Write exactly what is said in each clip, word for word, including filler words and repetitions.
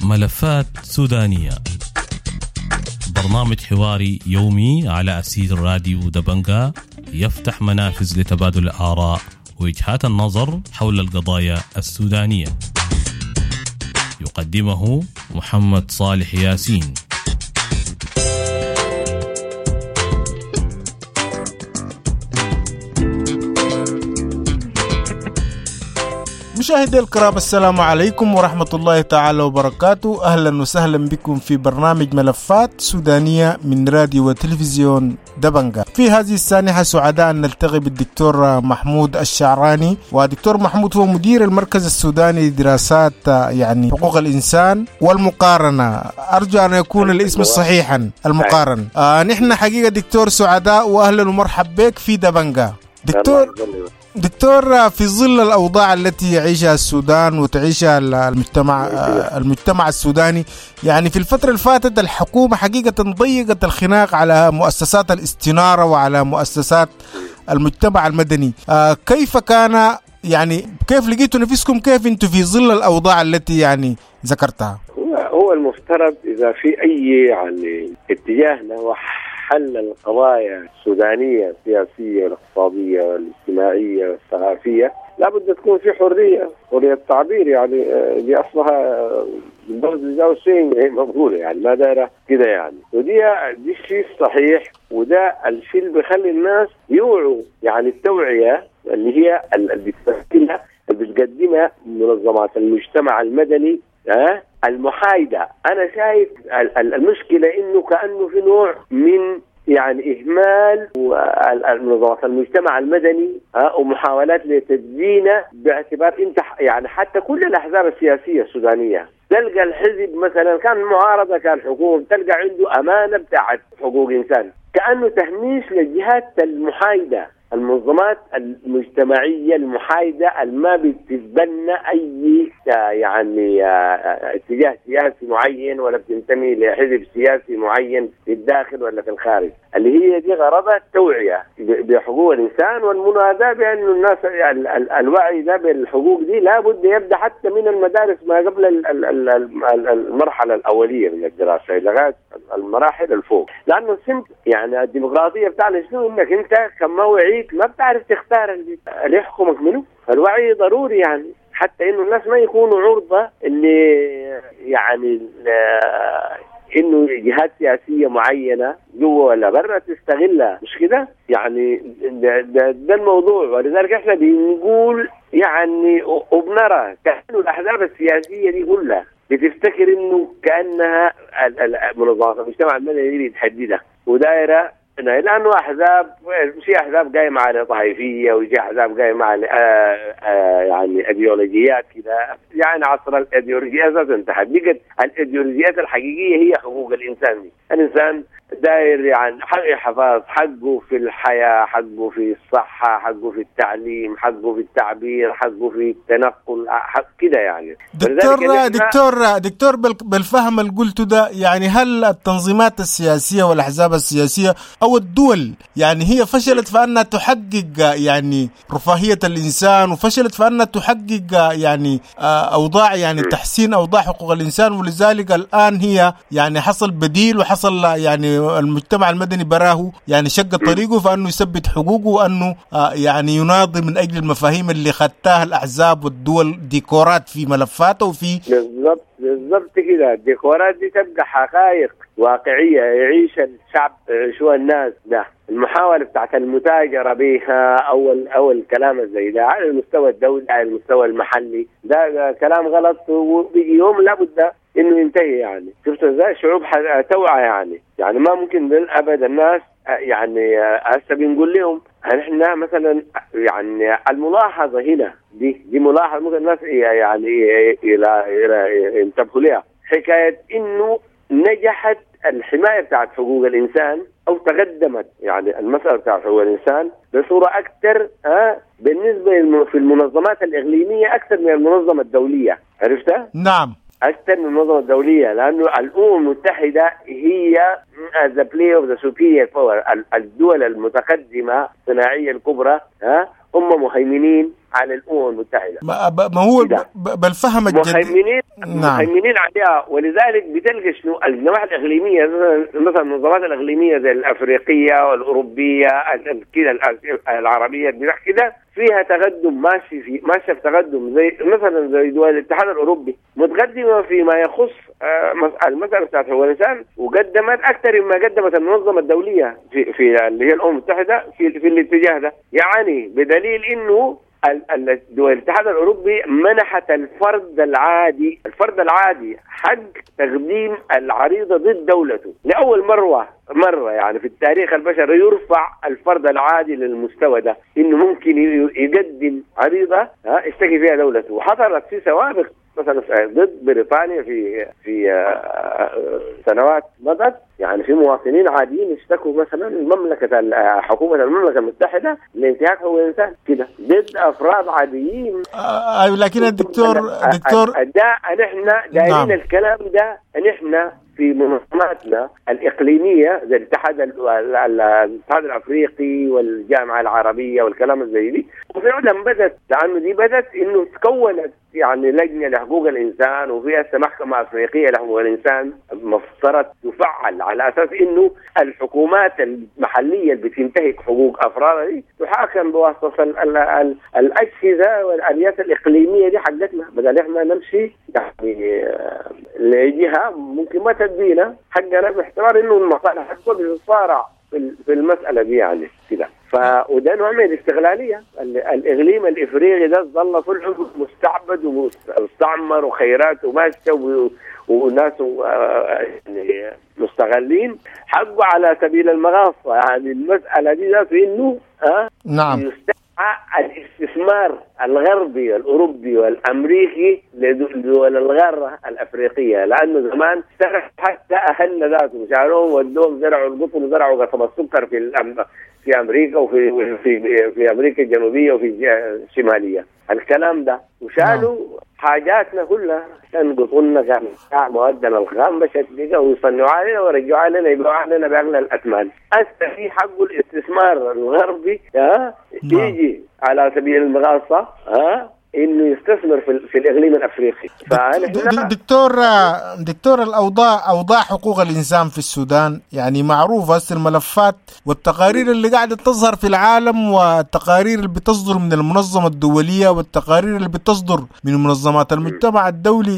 ملفات سودانية، برنامج حواري يومي على أسير راديو دبنجا، يفتح منافذ لتبادل الآراء ووجهات النظر حول القضايا السودانية. يقدمه محمد صالح ياسين. مشاهدي الكرام، السلام عليكم ورحمة الله تعالى وبركاته. أهلا وسهلا بكم في برنامج ملفات سودانية من راديو وتلفزيون دبنجا. في هذه السانحة سعداء أن نلتقي بالدكتور محمود الشعراني، ودكتور محمود هو مدير المركز السوداني لدراسات يعني حقوق الإنسان والمقارنة. أرجو أن يكون الاسم صحيحا، المقارن. آه نحن حقيقة دكتور سعداء، وأهلا ومرحب بك في دبنجا. دكتور دكتور في ظل الأوضاع التي يعيشها السودان وتعيشها المجتمع المجتمع السوداني، يعني في الفترة اللي فاتت الحكومة حقيقة ضيقت الخناق على مؤسسات الاستنارة وعلى مؤسسات المجتمع المدني. كيف كان يعني كيف لقيتوا نفسكم، كيف انتم في ظل الأوضاع التي يعني ذكرتها؟ هو المفترض إذا في أي يعني اتجاه نحو حل القضايا السودانية السياسية والاقتصادية والاجتماعية والثقافية لابد تكون في حرية، حرية التعبير، يعني دي أصلها شيء مقبولة، يعني ما دايرة كده يعني. ودي دي الشيء الصحيح، وده الشيء اللي بيخلي الناس يوعوا، يعني التوعية اللي هي اللي بتقدمها منظمات المجتمع المدني ها المحايدة. أنا شايف المشكلة إنه كأنه في نوع من يعني إهمال منظمات المجتمع المدني ومحاولات لتدجينه باعتبار أنت يعني حتى كل الأحزاب السياسية السودانية تلقى الحزب مثلا كان معارضة كان حكومة تلقى عنده أمانة بتاعت حقوق إنسان، كأنه تهميش للجهات المحايدة، المنظمات المجتمعية المحايدة الما بتتبنى أي يعني اتجاه سياسي معين ولا بتنتمي لحزب سياسي معين في الداخل ولا في الخارج، اللي هي دي غرضها التوعية بحقوق الإنسان والمناداة بأن الناس الوعي ده بالحقوق دي لابد يبدأ حتى من المدارس ما قبل المرحلة الأولية من الدراسة لغاية المراحل الفوق. لأنه السمت يعني الديمقراطية بتاعنا شنو؟ إنك أنت كما وعيت ما بتعرف تختار اللي يحكمك منه. فالوعي ضروري يعني حتى إنه الناس ما يكونوا عرضة اللي يعني إنه جهات سياسية معينة جوا ولا برا تستغلها، مش كده؟ يعني ده, ده, ده الموضوع. ولذلك إحنا بنقول يعني وبنرى كأنه الأحزاب السياسية دي كلها بتفتكر إنه كأنها منظمات المجتمع المدني دي بتحددها ودائرة، لأنه أحزاب في أحزاب قايمة على طائفية وفي أحزاب قايمة على آآ آآ يعني أيديولوجيات كده. يعني عصر الأيديولوجيات ذات انتهت، بقت الأيديولوجيات الحقيقية هي حقوق الإنسان دي. الإنسان داير يعني حق حفاظ حقه في الحياة، حقه في الصحة، حقه في التعليم، حقه في التعبير، حقه في التنقل، حق كده يعني. دكتور دكتور دكتور بالفهم اللي قلته ده، يعني هل التنظيمات السياسية والأحزاب السياسية أو الدول يعني هي فشلت في أنها تحقق يعني رفاهية الإنسان، وفشلت في أنها تحقق يعني أوضاع يعني تحسين أوضاع حقوق الإنسان، ولذلك الآن هي يعني حصل بديل وحصل يعني المجتمع المدني براه يعني شق طريقه فأنه يثبت حقوقه وأنه يعني يناضل من أجل المفاهيم اللي خدتها الأحزاب والدول ديكورات في ملفاته وفي بالضبط بالضبط كده. الديكورات دي تبقى حقائق واقعية يعيش الشعب، يعيشوها الناس. ده المحاولة بتاعت المتاجرة بها أو أو الكلام زي ده على المستوى الدولي على المستوى المحلي ده, ده كلام غلط، وبيجي يوم لابد إنه ينتهي. يعني شفت إزاي شعوب توعى يعني يعني ما ممكن أبدا الناس يعني هسه بنقول لهم احنا مثلا يعني الملاحظة هنا دي دي ملاحظة ممكن الناس يعني إلى إلى ينتبهوا لها، حكاية إنه نجحت الحماية بتاعت حقوق الإنسان أو تقدمت يعني المسألة بتاعت حقوق الإنسان بصورة أكثر أه بالنسبة في المنظمات الإقليمية أكثر من المنظمة الدولية. عرفتها؟ نعم، أكثر من المنظمة الدولية، لأنه الأمم المتحدة هي the play of the superior power، الدول المتقدمة الصناعية الكبرى ها هم مهيمنين على الأمم المتحدة. ما, ما هو بالفهم الجديد مهيمنين نعم. مهيمنين عليها. ولذلك بتلقى شنو الجماعات الإقليمية مثلا المنظمات الإقليمية زي الأفريقية والأوروبية كده العربية كده فيها تقدم ماشي في ماشي في تقدم، زي مثلا زي دول الاتحاد الأوروبي متقدمة فيما يخص المسألة بتاعت حقوق الإنسان، وقدمت أكثر مما قدمت المنظمة الدولية في في اللي هي الأمم المتحدة في في الاتجاه ده. يعني بدليل إنه دول الاتحاد الأوروبي منحت الفرد العادي الفرد العادي حق تقديم العريضة ضد دولته لأول مرة مرة يعني في التاريخ البشري يرفع الفرد العادي للمستوى ده، إنه ممكن يقدم عريضة يشتكي فيها دولته. وحصلت في سوابق مثلا ضد بريطانيا في في سنوات مضت، يعني في مواطنين عاديين اشتكوا مثلا المملكة حكومة المملكة المتحدة لانتهاك حقوق الإنسان كده ضد أفراد عاديين. أيوة لكن الدكتور دكتور ده نحن دايرين نعم. الكلام ده نحن في منظماتنا الإقليمية زي الاتحاد الاتحاد الأفريقي والجامعة العربية والكلام زي دي، وفعلا بدت لأنه دي بدت إنه تكونت يعني لجنة لحقوق الإنسان، وفيها محكمة أفريقية لحقوق الإنسان مفترض تفعل على أساس إنه الحكومات المحلية اللي بتنتهك حقوق أفرادها دي تحاكم بواسطة ال ال الأجهزة والآليات الإقليمية دي حقتنا، بدل إحنا نمشي يعني لجهة ممكن ما تدينا حقنا باعتبار إنه المصالح بتتصارع في المسألة دي يعني كده. ف وده نوع من الاستغلالية. الإقليم الإفريقي ده ظل طول عمره مستعبد ومستعمر وخيرات وماشية وناس يعني مستغلين حقه على سبيل المغاصة. يعني المسألة دي ذات إنه ها نعم يستدعى الاستثمار الغربي الأوروبي والأمريكي لدول الغارة الأفريقية، لأنه زمان حتى أهلنا ذاته شالوهم ودوهم زرعوا القطن وزرعوا قصب السكر في الأم... في أمريكا وفي في في أمريكا الجنوبية وفي الشمالية الكلام ده، وشالوا حاجاتنا كلها عشان قطننا كان موادنا الخام بشكل ويصنعوا علينا ويرجعوا علينا يبيعوا علينا بأغلى الأثمان. هسه في حق الاستثمار الغربي ها يجي على سبيل المغاصة ها انه يستثمر في, في الاقليم الافريقي. دكتور دكتور الاوضاع اوضاع حقوق الانسان في السودان يعني معروفه، هسه الملفات والتقارير اللي قاعده تظهر في العالم والتقارير اللي بتصدر من المنظمه الدوليه والتقارير اللي بتصدر من منظمات المجتمع الدولي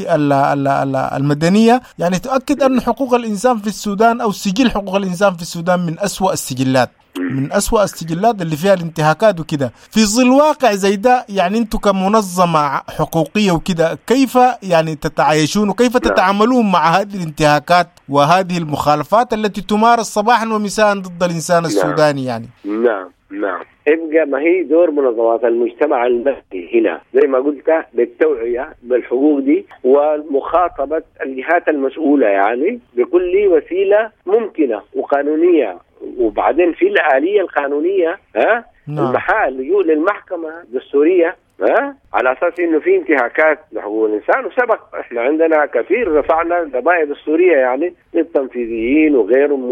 المدنيه يعني تؤكد ان حقوق الانسان في السودان او سجل حقوق الانسان في السودان من أسوأ السجلات، من أسوأ السجلات اللي فيها الانتهاكات وكده. في ظل واقع زي ده يعني انتم كمنظمة حقوقية وكده كيف يعني تتعايشون وكيف تتعاملون مع هذه الانتهاكات وهذه المخالفات التي تمارس صباحا ومساء ضد الإنسان السوداني؟ يعني نعم نعم ابقى ما هي دور منظمات المجتمع المدني هنا زي ما قلت بالتوعية بالحقوق دي ومخاطبة الجهات المسؤولة يعني بكل وسيلة ممكنة وقانونية. وبعدين في الآلية القانونية ها نعم. المحال اللجوء للمحكمة الدستورية ها على أساس إنه في انتهاكات لحقوق الإنسان، وسبق إحنا عندنا كثير رفعنا قضايا دستورية يعني للتنفيذيين وغيرهم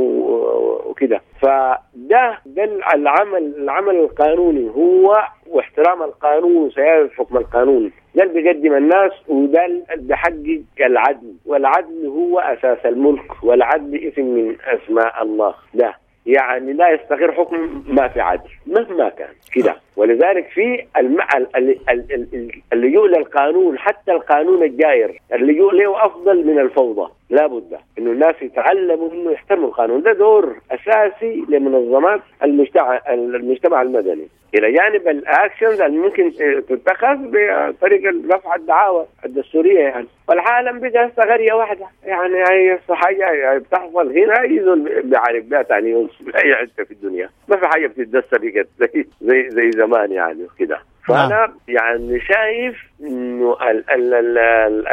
وكده. فده ده العمل العمل القانوني هو واحترام القانون وسيادة حكم القانون، ده اللي بيقدم الناس وده اللي بيحقق العدل، والعدل هو أساس الملك، والعدل اسم من أسماء الله. ده يعني لا يستقر حكم ما في عدل مهما كان كده. ولذلك في الم... اللجوء للقانون، حتى القانون الجائر اللجوء له أفضل من الفوضى. لا بد إنه الناس يتعلموا إنه يحترموا القانون، ده دور أساسي لمنظمات المجتمع المجتمع المدني إلى جانب الأكشنز اللي ممكن تتخذ بطريقة رفع الدعاوى الدستورية يعني. والعالم بقى قرية واحدة يعني، هي حاجة بتحصل هنا يزول بيعرف بها ثاني يوم في أي حتة في الدنيا، ما في حاجة بتتدسى بقت زي زي زي زمان يعني كده. فأنا يعني شايف إنه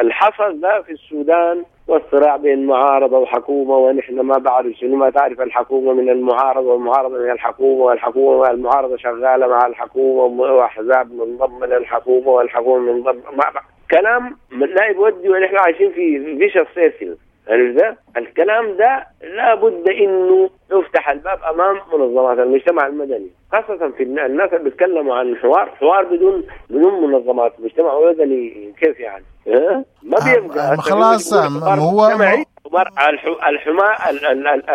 الحصل ده في السودان والصراع بين معارضة وحكومة، ونحن ما بعرف شنو، ما تعرف الحكومة من المعارضة والمعارضة من الحكومة، والحكومة والمعارضة شغالة مع الحكومة، وأحزاب منضمة للحكومة والحكومة منضمة، ما كلام لا يودي، ونحن عايشين في vicious circle. عرفت؟ الكلام ده لابد انه يفتح الباب امام منظمات المجتمع المدني، خاصة في الناس اللي بيتكلموا عن حوار، حوار بدون بدون منظمات مجتمع مدني كيف يعني؟ أه؟ ما بيبقى خلاص. هو الحما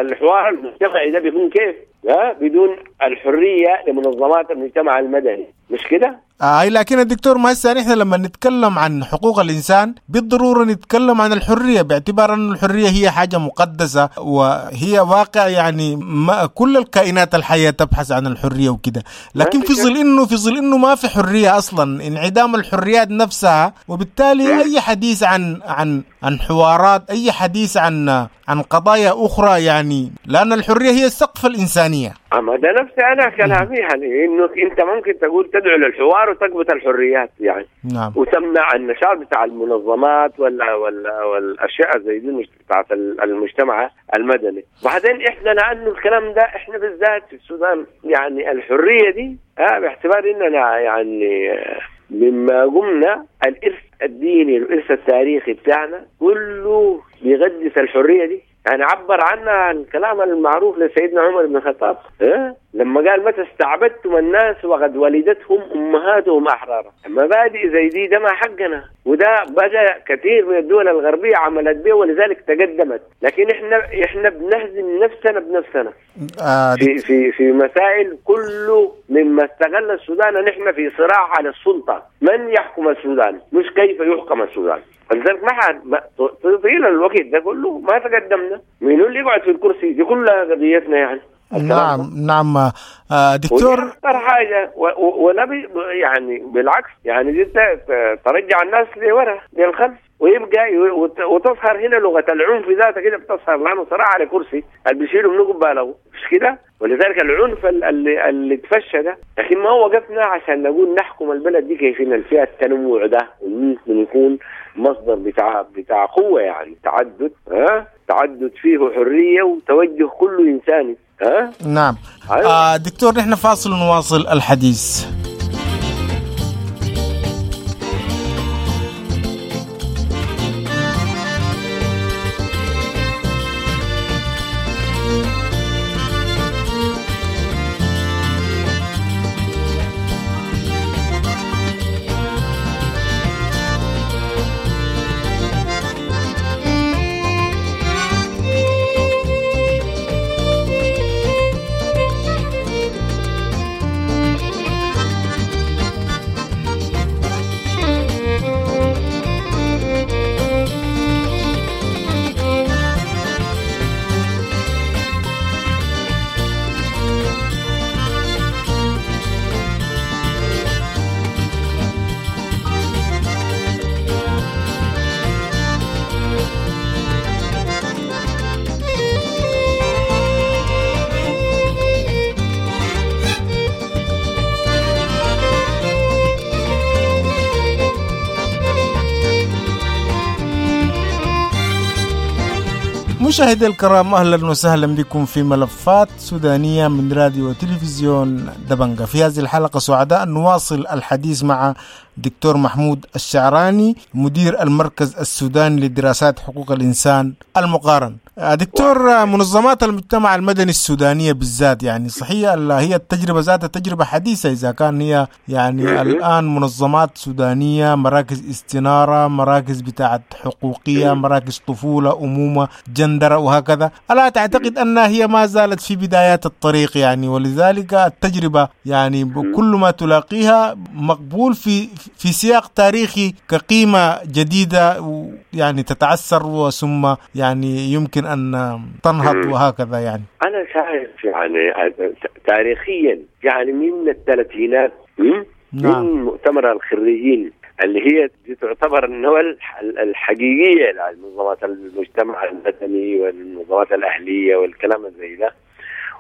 الحوار المجتمعي ده بيكون كيف؟ أه؟ بدون الحرية لمنظمات المجتمع المدني، مش كده؟ آه لكن الدكتور ما هسه نحن لما نتكلم عن حقوق الإنسان بالضرورة نتكلم عن الحرية، باعتبار أن الحرية هي حاجة مقدسة وهي واقع، يعني ما كل الكائنات الحية تبحث عن الحرية وكده، لكن في ظل إنه في ظل إنه ما في حرية أصلا، انعدام الحريات نفسها، وبالتالي أي حديث عن عن عن حوارات، أي حديث عن عن قضايا أخرى، يعني لأن الحرية هي السقف الإنسانية. أما ده نفسي أنا كلامي يعني إنه أنت ممكن تقول تدعو للحوار وتقبض الحريات يعني. نعم. وتمنع النشاط بتاع المنظمات ولا ولا والأشياء زي دي بتاعت المجتمع المدني. بعدين إحنا لأنه الكلام ده إحنا بالذات في السودان يعني الحرية دي آه باعتبار إننا يعني مما قمنا الإرث الديني الإرث التاريخي بتاعنا كله بيغدس الحرية دي. يعني عبر عنها الكلام المعروف لسيدنا عمر بن الخطاب أه؟ لما قال متى استعبدتم الناس وقد ولدتهم أمهاتهم أحرارا. مبادئ زي دي ده ما حقنا، وده بدأ كثير من الدول الغربية عملت به ولذلك تقدمت، لكن احنا احنا بنهزم نفسنا بنفسنا آه في في في مسائل كله مما استغل السودان. نحن في صراع على السلطة، من يحكم السودان مش كيف يحكم السودان. فلذلك ما طيل الوقت ده كله ما تقدمنا، مين اللي يقعد في الكرسي دي كلها قضيتنا يعني. نعم نعم آه دكتور، أكثر حاجة ولا يعني بالعكس يعني دي ترجع الناس لورا للخلف، ويبقى وتظهر هنا لغة العنف ذاتها كده بتظهر، لأنه صراع على كرسي اللي بيشيله منه قباله مش كده، ولذلك العنف اللي اللي تفشى ده. لكن ما وقفنا عشان نقول نحكم البلد دي كيف إن فيها التنوع ده وممكن يكون مصدر بتاع بتاع قوة، يعني تعدد ها تعدد فيه حرية وتوجه كله إنساني ها. نعم. أيوة. آه دكتور نحن فاصل ونواصل الحديث. مشاهدي الكرام، أهلا وسهلا بكم في ملفات سودانية من راديو وتلفزيون دبنجة. في هذه الحلقة سعداء نواصل الحديث مع دكتور محمود الشعراني مدير المركز السوداني لدراسات حقوق الإنسان المقارن. دكتور، منظمات المجتمع المدني السودانية بالذات يعني صحيح هي التجربة ذاتها تجربة حديثة، إذا كان هي يعني الآن منظمات سودانية، مراكز استنارة، مراكز بتاعة حقوقية، مراكز طفولة، أمومة، جندرة وهكذا، ألا تعتقد أنها هي ما زالت في بدايات الطريق يعني، ولذلك التجربة يعني كل ما تلاقيها مقبول في في سياق تاريخي كقيمة جديدة يعني تتعثر وثم يعني يمكن أن تنهض وهكذا؟ يعني أنا شايف يعني تاريخيا يعني من الثلاثينات نعم. من مؤتمر الخريجين اللي هي دي تعتبر النوى الحقيقية لمنظمات المجتمع المدني والمنظمات الأهلية والكلام زي ده،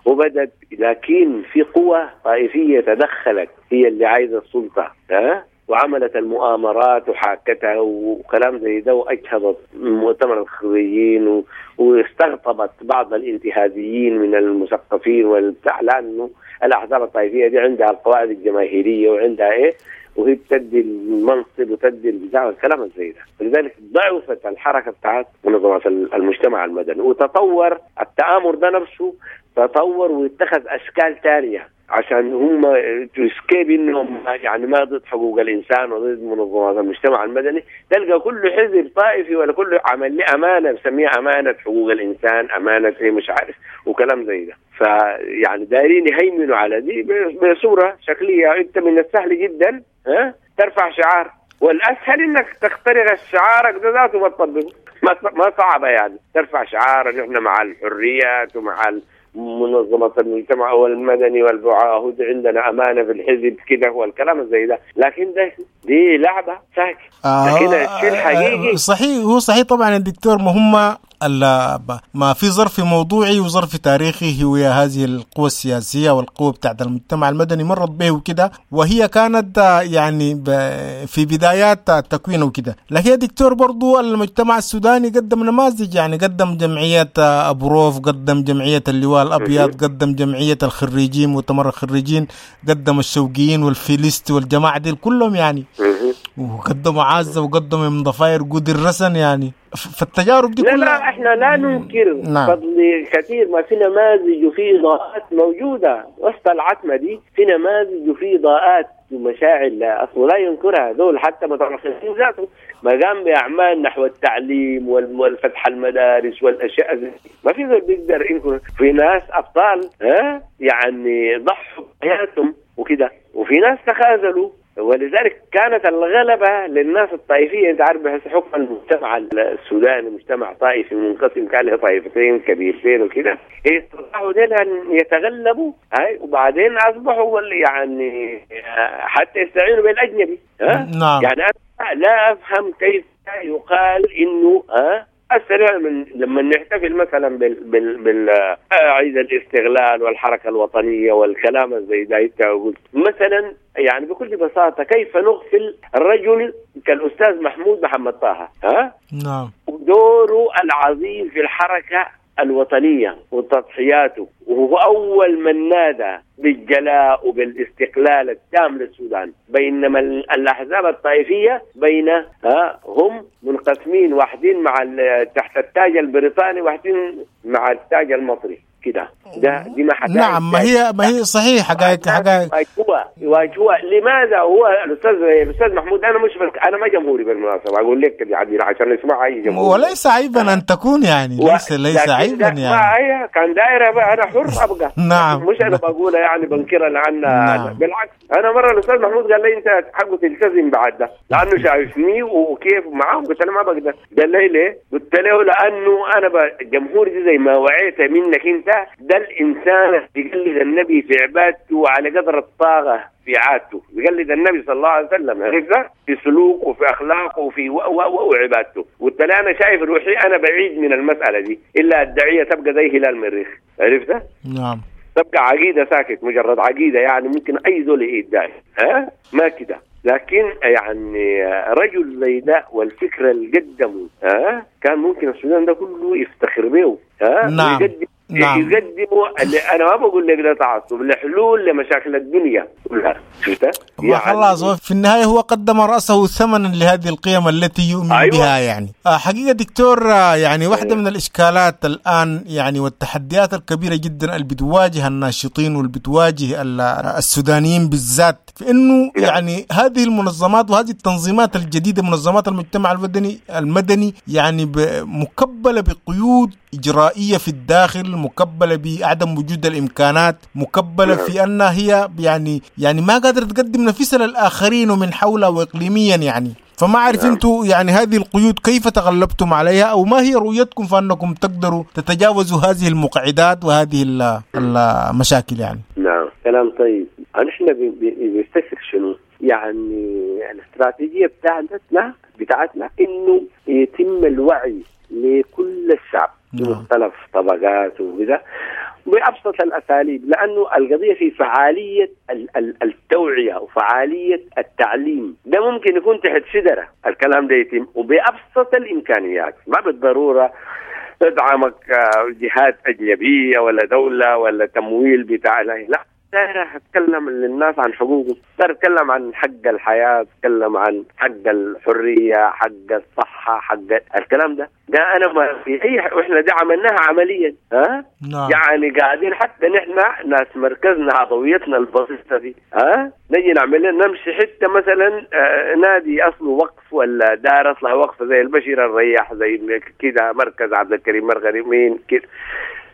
وبدت، لكن في قوة طائفية تدخلت هي اللي عايزة السلطة ها وعملت المؤامرات وحاكتها وكلام زي ده، وأجهضت مؤتمر الخريجين واستقطبت بعض الانتهازيين من المثقفين والبتاع، لأنه الأحزاب الطائفية دي عندها القواعد الجماهيرية وعندها إيه، وهي بتدي المنصب وتدي البتاع والكلام زي ده. لذلك ضعفت الحركة بتاعت منظمات المجتمع المدني، وتطور التآمر ده نفسه تطور واتخذ اشكال ثانية عشان هم to escape انهم يعني ما ضد حقوق الانسان وضد منظمات المجتمع المدني. تلقى كل حزب طائفي ولا كل عمل له امانه بسميها امانه حقوق الانسان، امانه ايه مش عارف وكلام زي ده. فيعني دايرين يهيمنوا على دي بصورة شكلية. انت من السهل جدا ها ترفع شعار، والاسهل انك تخترق الشعارك ده ذاته ما تطبقه، ما صعبة يعني ترفع شعار ان احنا مع الحريات ومع منظمة المجتمع والمدني والبعاهد عندنا أمانة في الحزب كده والكلام زي ده، لكن ده دي لعبة ساكت. آه لكن الشيء الحقيقي صحيح، هو صحيح طبعا الدكتور، ما هم ما في ظرف موضوعي وظرف تاريخي هو هذه القوى السياسية والقوة بتاعت المجتمع المدني مرت به وكده، وهي كانت يعني في بدايات تكوينه وكده. لكن يا دكتور برضو المجتمع السوداني قدم نماذج، يعني قدم جمعية أبو روف، قدم جمعية اللواء الأبيض، قدم جمعية الخريجين مؤتمر الخريجين، قدم الشوقيين والفيليست والجماعة دي كلهم يعني، وقدموا عزة وقدموا من ضفاير جود الرسن يعني. فالتجارب دي كلها لا لا احنا لا ننكر نعم. فضل كثير، ما في نماذج وفي اضاءات موجودة وسط العتمة دي، في نماذج وفي اضاءات ومشاعر لا اصلا لا ينكرها دول، حتى مترفسين ذاته ما قام باعمال نحو التعليم والفتح المدارس والاشياء زي ما في زول بيقدر ينكر. في ناس ابطال ها يعني ضحوا بحياتهم وكده، وفي ناس تخاذلوا، ولذلك كانت الغلبة للناس الطائفية. انت عارف بحس حكم المجتمع السوداني مجتمع طائفي منقسم، كان له طائفتين كبيرتين وكده، استطاعوا ديل ان يتغلبوا هاي، وبعدين اصبحوا يعني حتى يستعينوا بالاجنبي ها. نعم. يعني انا لا افهم كيف يقال انه ها السريع من لما نحتفل مثلا بال بال بال عيد الاستغلال والحركة الوطنية والكلام زي ده، انت قلت مثلا يعني بكل بساطة كيف نغفل الرجل كالاستاذ محمود محمد طه ها؟ نعم، ودوره العظيم في الحركة الوطنية وتضحياته، وهو اول من نادى بالجلاء وبالاستقلال التام للسودان، بينما الاحزاب الطائفية بين ها هم منقسمين، واحدين مع تحت التاج البريطاني واحدين مع التاج المصري كده. ده دي ما حقائق. نعم، ما هي ما هي صحيح حقائق حقائق يواجهوها يواجهوها. لماذا هو الاستاذ الاستاذ محمود، انا مش انا ما جمهوري بالمناسبة، اقول لك كده عشان يسمع اي جمهوري، وليس عيبا ان تكون يعني ليس ليس عيبا يعني، ما هي كان دايرة بقى انا حر ابقى. نعم، مش انا بقولها يعني بنكرها لان نعم. بالعكس انا مرة الاستاذ محمود قال لي انت حقه تلتزم بعد ده لانه شايفني وكيف معاه، قلت له ما بقدر. قال لي ليه؟ قلت له لانه انا الجمهور دي زي ما وعيت منك انت، ده الإنسان بيقلد النبي في عبادته على قدر الطاقة في عادته، بيقلد النبي صلى الله عليه وسلم عرفت في سلوكه وفي أخلاقه وفي و و وعبادته. قلت له أنا شايف روحي أنا بعيد من المسألة دي، إلا الدعية تبقى زي هلال مريخ عرفت؟ نعم، تبقى عقيدة ساكت، مجرد عقيدة يعني ممكن أي زول يدعي ها ما كده. لكن يعني رجل زي ده والفكرة اللي قدمه ها كان ممكن السودان ده كله يفتخر به ها. نعم. ويقدم نعم. يقدموا انا ما بقول لك ده تعصب، لحلول لمشاكل الدنيا كلها شفتها يعني خلاص في النهاية هو قدم راسه ثمنا لهذه القيم التي يؤمن أيوة. بها يعني حقيقة دكتور، يعني واحدة من الاشكالات الان يعني والتحديات الكبيرة جدا اللي بتواجه الناشطين واللي بتواجه السودانيين بالذات في انه يعني هذه المنظمات وهذه التنظيمات الجديدة منظمات المجتمع المدني المدني يعني مكبله بقيود اجرائيه في الداخل، مكبلة بعدم وجود الإمكانات، مكبلة في أنها هي يعني يعني ما قادرة تقدم نفسها للآخرين ومن حولها وإقليميا يعني. فما أعرف أنتوا يعني هذه القيود كيف تغلبتم عليها، أو ما هي رؤيتكم فأنكم تقدروا تتجاوزوا هذه المقعدات وهذه المشاكل يعني؟ نعم، كلام طيب. نحن بنستفسر شنو يعني الاستراتيجية بتاعتنا بتاعتنا إنه يتم الوعي لكل الشعب بمختلف طبقاته وكذا بأبسط الأساليب، لأنه القضية في فعالية التوعية وفعالية التعليم. ده ممكن يكون تحت شجرة الكلام ده يتم وبأبسط الإمكانيات، ما بالضرورة تدعمك جهات أجنبية ولا دولة ولا تمويل بتاع، لا داير اتكلم للناس عن حقوقهم، داير اتكلم عن حق الحياة، اتكلم عن حق الحرية، حق الصحة، حق الكلام ده ده انا ما في اي ح... واحنا ده عملناها عمليا. ها نعم. يعني قاعدين حتى نحن ناس مركزنا عضويتنا البسيطة دي، ها نجي نعمل لنا نمشي حتى مثلا آه نادي اصله وقف ولا دار اصلها وقف زي البشير الرياح، زي كده مركز عبد الكريم مرغني مين كده،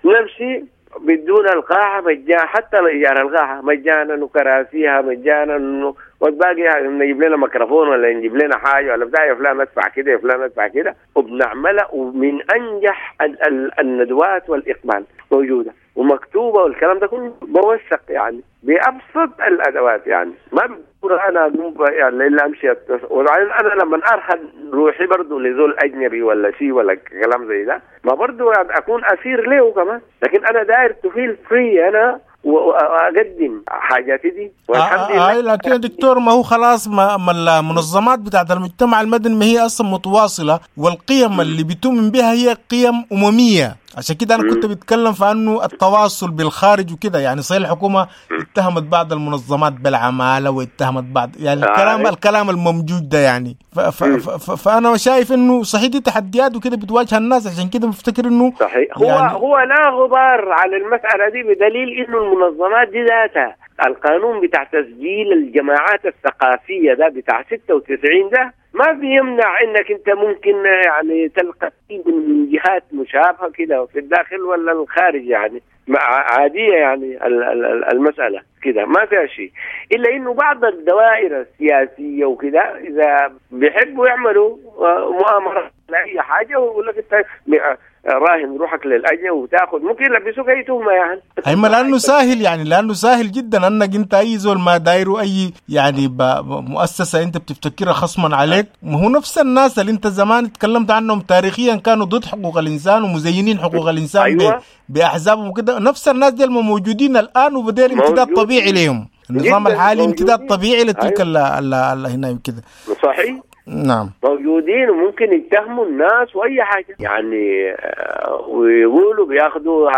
نمشي بدون القاعة مجانا، حتى إيجار القاعة مجانا وكراسيها مجانا، والباقي نجيب لنا ميكروفون ولا نجيب لنا حاجة ولا بتاع، يا فلان ادفع كده يا فلان ادفع كده، وبنعملها. ومن أنجح ال ال الندوات والإقبال موجودة ومكتوبة، والكلام ده كله بوثق يعني بأبسط الأدوات، يعني ما بقول أنا يعني إلا أمشي. وبعدين أنا لما أرهن روحي برضو لزول أجنبي ولا شيء ولا كلام زي ده، ما برضو يعني أكون أسير له كمان، لكن أنا داير to feel free أنا واقدم حاجاتي دي والحمد لله. آه لكن يا دكتور ما هو خلاص ما, ما المنظمات بتاعت المجتمع المدني ما هي اصلا متواصلة، والقيم اللي بتؤمن بها هي قيم امميه، عشان كده انا كنت بتكلم في انه التواصل بالخارج وكده. يعني صحيح الحكومة اتهمت بعض المنظمات بالعماله واتهمت بعض يعني الكلام آه. الكلام الممجوج ده يعني ف ف ف فانا شايف انه صحيح دي تحديات وكده بتواجه الناس، عشان كده بفتكر انه صحيح هو يعني هو لا غبار على المسالة دي، بدليل انه المنظمات دي ذاتها القانون بتاع تسجيل الجماعات الثقافية ده بتاع ستة وتسعين ده ما بيمنع انك انت ممكن يعني تلقى من جهات مشابهة كده في الداخل ولا الخارج، يعني عادية يعني المسالة كده ما فيها شيء، الا انه بعض الدوائر السياسية وكده اذا بيحبوا يعملوا مؤامرة لاي حاجة ويقول لك انت راهن روحك للاجل وتاخذ ممكن يلبسوك اي تهمه يعني. ايما لانه سهل يعني، لانه سهل جدا انك انت اي زول ما دايرة اي يعني مؤسسة انت بتفتكرها خصما عليك، ما هو نفس الناس اللي انت زمان تكلمت عنهم تاريخيا كانوا ضد حقوق الانسان ومزينين حقوق الانسان. أيوة. باحزابهم وكده، نفس الناس دي موجودين الان، وبدير امتداد طبيعي لهم النظام الحالي، امتداد طبيعي لتلك. أيوة. ال هنا كده صحيح. نعم موجودين وممكن يتهموا الناس واي حاجة يعني، ويقولوا بياخدوا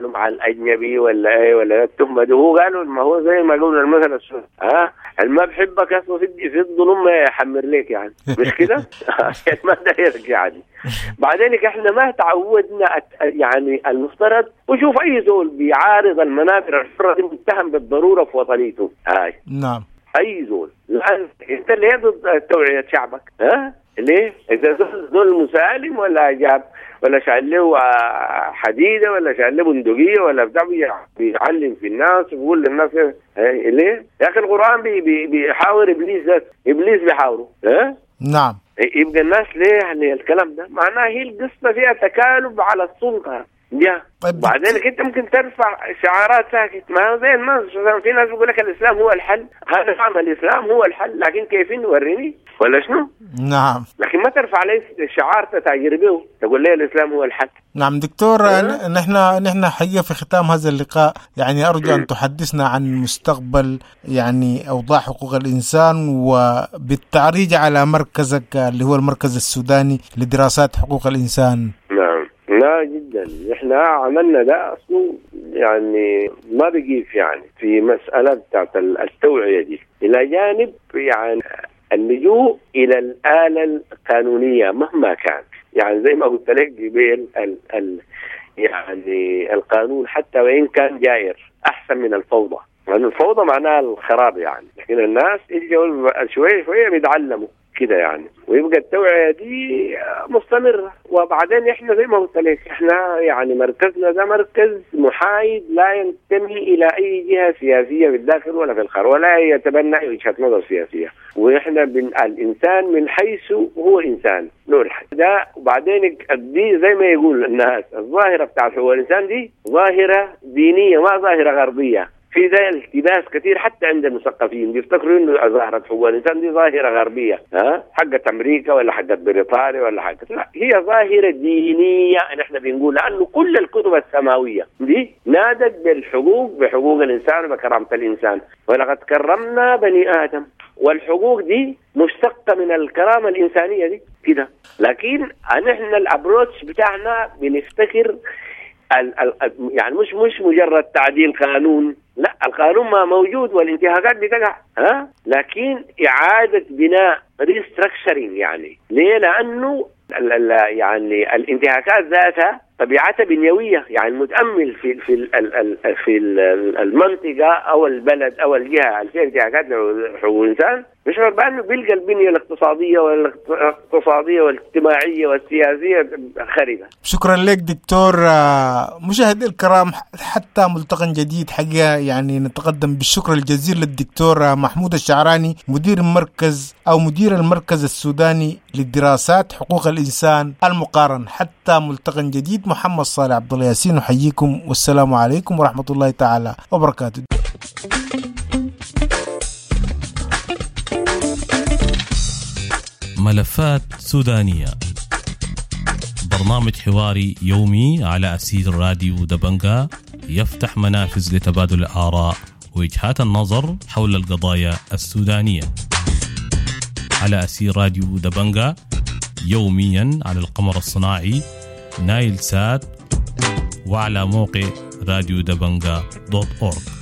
مع الاجنبي ولا ايه ولا التهمة دي. هو قالوا ما هو زي ما قلنا المثل السوري، ها ما بحبك اصلا في في الظلم ما يحمر لك يعني، مش كده؟ ما دايرك يعني. بعدين احنا ما تعودنا يعني المفترض، وشوف اي زول بيعارض المنابر الحرة دي متهم بالضرورة في وطنيته. هاي نعم اي زول، لأن انت ليه ضد توعية شعبك؟ ها ليه؟ اذا زول زول مسالم ولا جاب ولا شال له حديده ولا شال له بندقية ولا بتاع بيعلم في الناس وبيقول للناس ليه؟ يا اخي القران بي بي بيحاور ابليس ذات، ابليس بيحاوره. ها؟ نعم. يبقى الناس ليه يعني الكلام ده؟ معناه هي القصة فيها تكالب على السلطة. يا طيب بعدين انت ممكن ترفع شعارات ساكت، ما هو زي الناس في ناس بيقول لك الاسلام هو الحل، هذا نعم الاسلام هو الحل، لكن كيفين وريني ولا شنو؟ نعم. لكن ما ترفع لي شعار تتاجر به تقول لي الاسلام هو الحل. نعم دكتور، نحن نحن حقيقة في ختام هذا اللقاء يعني ارجو ان تحدثنا عن مستقبل يعني اوضاع حقوق الانسان، وبالتعريج على مركزك اللي هو المركز السوداني لدراسات حقوق الانسان. نعم لا جدا، احنا عملنا ده اصله يعني ما بقيف يعني في مسألة بتاعت التوعية دي، الى جانب يعني اللجوء الى الآلة القانونية مهما كان، يعني زي ما قلت لك قبل ال ال يعني القانون حتى وان كان جائر احسن من الفوضى، لأن يعني الفوضى معناها الخراب يعني، لكن الناس يجوا شوية شوية بيتعلموا كده يعني، ويبقى التوعية دي مستمرة. وبعدين احنا زي ما قلت لك احنا يعني مركزنا ده مركز محايد لا ينتمي الى اي جهة سياسية في الداخل ولا في الخارج، ولا يتبنى اي وجهة نظر سياسية، واحنا بن... الانسان من حيث هو انسان نور ده. وبعدين دي زي ما يقول الناس الظاهرة بتاعت هو الانسان دي ظاهرة دينية ما ظاهرة غربية. في ده التباس كثير حتى عند المثقفين بيفتكروا انه ظاهرة حقوق الانسان دي ظاهرة غربية، ها حقت امريكا ولا حقت بريطانيا ولا حقت، لا هي ظاهرة دينية. نحن بنقول لانه كل الكتب السماوية دي نادت بالحقوق، بحقوق الانسان وبكرامة الانسان، ولقد كرمنا بني ادم، والحقوق دي مشتقة من الكرامة الإنسانية دي كده. لكن نحن الابروتش بتاعنا بنفتكر ال ال يعني مش مش مجرد تعديل قانون، لا القانون ما موجود والانتهاكات بتقع، ها، لكن اعاده بناء restructuring. يعني ليه؟ لانه ال ال يعني الانتهاكات ذاتها طبيعتها بنيويه، يعني المتامل في في ال في المنطقة او البلد او الجهة اللي فيها انتهاكات لحقوق الانسان بيشعر بانه بيلقى البنية الاقتصادية والاقتصادية والاجتماعية والسياسية خربه. شكرا لك دكتور. مشاهدي الكرام، حتى ملتقى جديد حقيقة يعني نتقدم بالشكر الجزيل للدكتور محمود الشعراني، مدير مركز او مدير المركز السوداني للدراسات حقوق الانسان المقارن. حتى ملتقى جديد، محمد صالح عبد الله ياسين نحييكم، والسلام عليكم ورحمة الله تعالى وبركاته. ملفات سودانية، برنامج حواري يومي على أسير راديو دبنجا، يفتح منافذ لتبادل الآراء ووجهات النظر حول القضايا السودانية على أسير راديو دبنجا، يوميا على القمر الصناعي نايل سات وعلى موقع راديو دبنجا دوت أورج.